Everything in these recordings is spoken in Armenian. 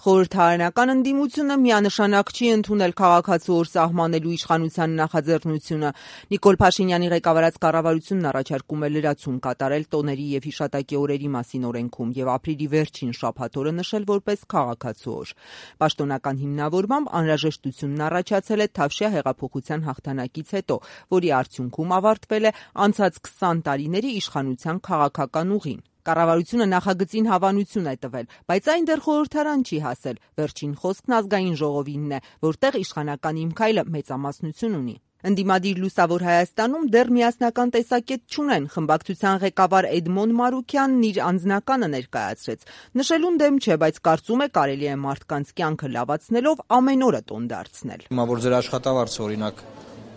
Խորհրդարանական ընդդիմությունը միանշանակ չի ընդունել քաղաքացու օր սահմանելու իշխանության նախաձեռնությունը։ Նիկոլ Փաշինյանի ղեկավարած կառավարությունն առաջարկում է լրացում կատարել տոների եւ հիշատակի օրերի մասին օրենքում եւ ապրիլի վերջին շաբաթ օրը նշել որպես քաղաքացու օր։ Պաշտոնական հիմնավորմամբ անհրաժեշտությունն առաջացել է Թավշյա հեղափոխության հաղթանակից հետո, որի արդյունքում ավարտվել է անցած 20 տարիների իշխանության քաղաքական ուղին։ Կառավարությունը նախագծին հավանություն է տվել, բայց այն դեռ խորհրդարան չի հասել։ Վերջին խոսքն ազգային ժողովինն է, որտեղ իշխանական Իմ քայլը մեծամասնություն ունի։ Ընդդիմադիր Լուսավոր Հայաստանում դեռ միասնական տեսակետ չունեն։ Խմբակցության ղեկավար Էդմոն Մարուկյանն իր անձնականը ներկայացրեց։ Նշելուն դեմ չէ, բայց կարծում է կարելի է մարդկանց կյանքը լավացնելով ամեն օրը տոն դարձնել։ Հիմա որ ձեր աշխատավարձը օրինակ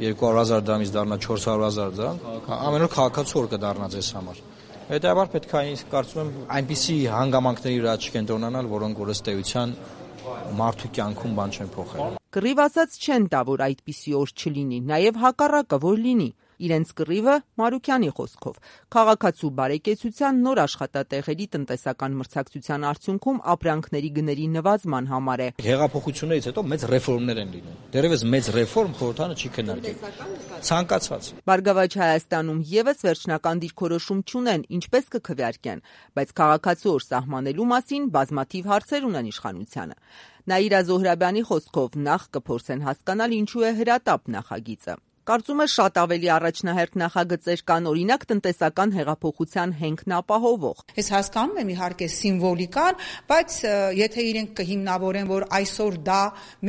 200,000 դրամից դառնա 400,000 դրամ, ամեն օր քաղաքացու օր կդառնա ձեզ համար։ Հետևաբար պետք է կարծում եմ այնպիսի հանգամանքների վրա չկենտրոնանալ, որոնք որ ըստ էության մարդու կյանքում բան չեն փոխել։ Կռիվ ասած չեն տա, որ այդպիսի օր չլինի, նաև հակառակը, որ լինի։ Իրենց կռիվը Մարուկյանի խոսքով քաղաքացու բարեկեցության նոր աշխատատեղերի տնտեսական մրցակցության արդյունքում ապրանքների գների նվազման համար է։ Հեղափոխություններից հետո մեծ ռեֆորմներ են լինում։ Դեռևս մեծ ռեֆորմ խորհրդարանը չի քննարկել։ Ցանկացած։ Բարգավաճ Հայաստանում եւս վերջնական դիրքորոշում չունեն, ինչպես կքվեարկեն, բայց քաղաքացու օր սահմանելու մասին բազմաթիվ հարցեր ունեն իշխանությանը։ Նաիրա Զոհրաբյանի խոսքով նախ կփորձեն հասկանալ ինչու է հրատապ նախագիծը։ Կարծում է շատ ավելի առաջնահերթ նախագծեր կան, օրինակ տնտեսական հեղափոխության հենքն ապահովող։ Ես հասկանում եմ իհարկե սիմվոլիկան, բայց եթե իրենք կհիմնավորեն, որ այսօր դա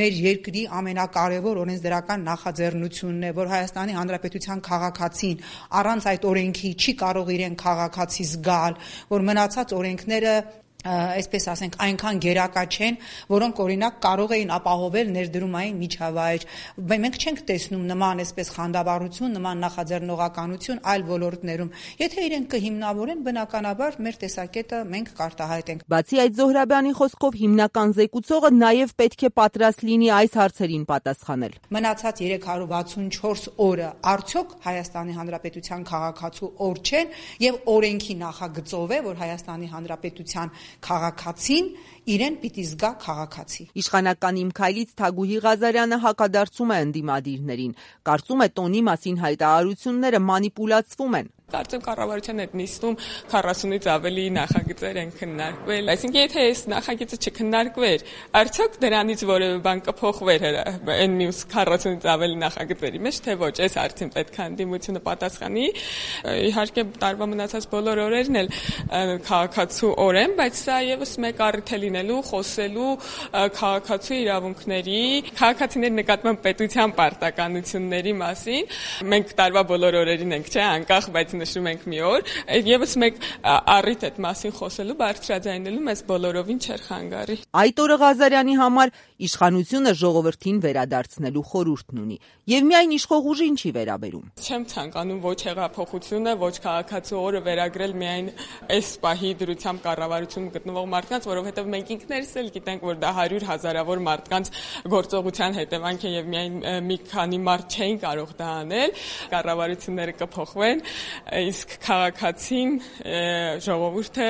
մեր երկրի ամենակարևոր օրենսդրական նախաձեռնությունն է, որ Հայաստանի Հանրապետության քաղաքացին առանց այդ օրենքի չի կարող իրեն քաղաքացի զգալ, որ մնացած օրենքները այսպես ասենք այնքան գերակա չեն, որոնք օրինակ կարող էին ապահովել ներդրումային միջավայր։ Մենք չենք տեսնում նման այսպես խանդավառություն, նման նախաձեռնողականություն այլ ոլորտներում։ Եթե իրենք կհիմնավորեն, բնականաբար մեր տեսակետը մենք կարտահայտենք։ Բացի այդ, Զոհրաբյանի խոսքով հիմնական զեկուցողը նաև պետք է պատրաստ լինի այս հարցերին պատասխանել։ Մնացած 364 օրը արդյոք Հայաստանի Հանրապետության քաղաքացու օր չեն եւ օրենքի նախագծով է, որ Հայաստանի Հանրապետության քաղաքացին իրեն պիտի զգա քաղաքացի։ Իշխանական Իմ քայլից Թագուհի Ղազարյանը հակադարձում է ընդդիմադիրներին։ Կարծում է տոնի մասին հայտարարությունները մանիպուլացվում են։ Կարծեմ կառավարության այդ նիստում 40-ից ավելի նախագծեր են քննարկվել, այսինքն եթե այս նախագիծը չքննարկվեր, արդյոք դրանից որևէ բան կփոխվեր այն մյուս 40-ից ավելի նախագծերի մեջ, թե ոչ, այս հարցին պետք է ընդդիմությունը պատասխանի։ Իհարկե տարվա մնացած բոլոր օրերն էլ քաղաքացու օր են, բայց սա եւս մեկ առիթ է լինելու խոսելու քաղաքացու իրավունքների, քաղաքացիների նկատմամբ պետության պարտականությունների մասին։ Մենք տարվա բոլոր օրերին ենք, չէ, անկախ, բայց նշում ենք մի օր, եւս մեկ առիթ այդ մասին խոսելու, բարձրաձայնելու մեզ բոլորովին չէր խանգարի։ Այդ օրը Ղազարյանի համար իշխանությունը ժողովրդին վերադարձնելու խորհուրդն ունի, եւ միայն իշխող ուժին չի վերաբերում։ Չեմ ցանկանում ոչ հեղափոխությունը, ոչ քաղաքացու օրը վերագրել միայն այս պահի դրությամբ կառավարությունում գտնվող մարդկանց, որովհետեւ մենք ինքներս էլ գիտենք, որ դա 100,000-ավոր մարդկանց գործողության հետևանք է եւ միայն մի քանի մարդ չէին կարող դա անել։ Կառավարությունները կփոխվեն, իսկ քաղաքացին ժողովուրդը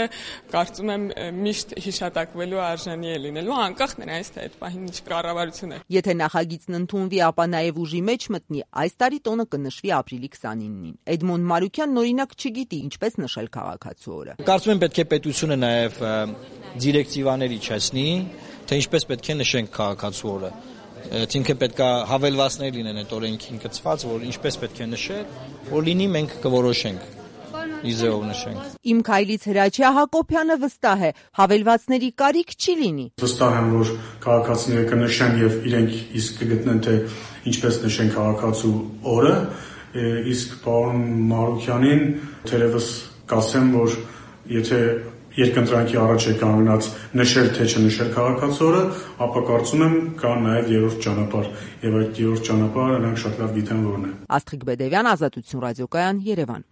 կարծում եմ միշտ հիշատակվելու արժանի է լինելու, անկախ նրանից թե այդ պահին ինչ կառավարություն է։ Եթե նախագիծն ընդունվի, ապա նաև ուժի մեջ մտնի, այս տարի տոնը կնշվի ապրիլի 29-ին։ Էդմոն Մարուկյանն օրինակ չգիտի ինչպես նշել քաղաքացու օրը։ Կարծում եմ պետք է պետությունը նաև դիրեկտիվաներ իջեցնի, թե ինչպես պետք է նշենք քաղաքացու օրը։ Այսինքն պետք է հավելվածներ լինեն այդ օրենքին կցված, որ ինչպես պետք է նշել, որ լինի մենք կորոշենք։ Իզեով նշենք։ Իմ քայլից Հրաչյա Հակոբյանը վստահ է, հավելվածների կարիք չի լինի։ Վստահ եմ, որ քաղաքացիները կնշեն եւ իրենք իսկ կգտնեն, թե ինչպես նշեն քաղաքացու օրը, իսկ պարոն Մարուկյանին թերևս կասեմ, որ եթե երկընտրանքի առաջ է կանգնած նշել թե չնշել քաղաքացու օրը, ապա կարծում եմ կա նաև երրորդ ճանապարհ, եւ այդ երրորդ ճանապարհը նրանք շատ լավ գիտեն որն է։ Աստղիկ Բեդևյան, Ազատություն ռադիոկայան, Երևան։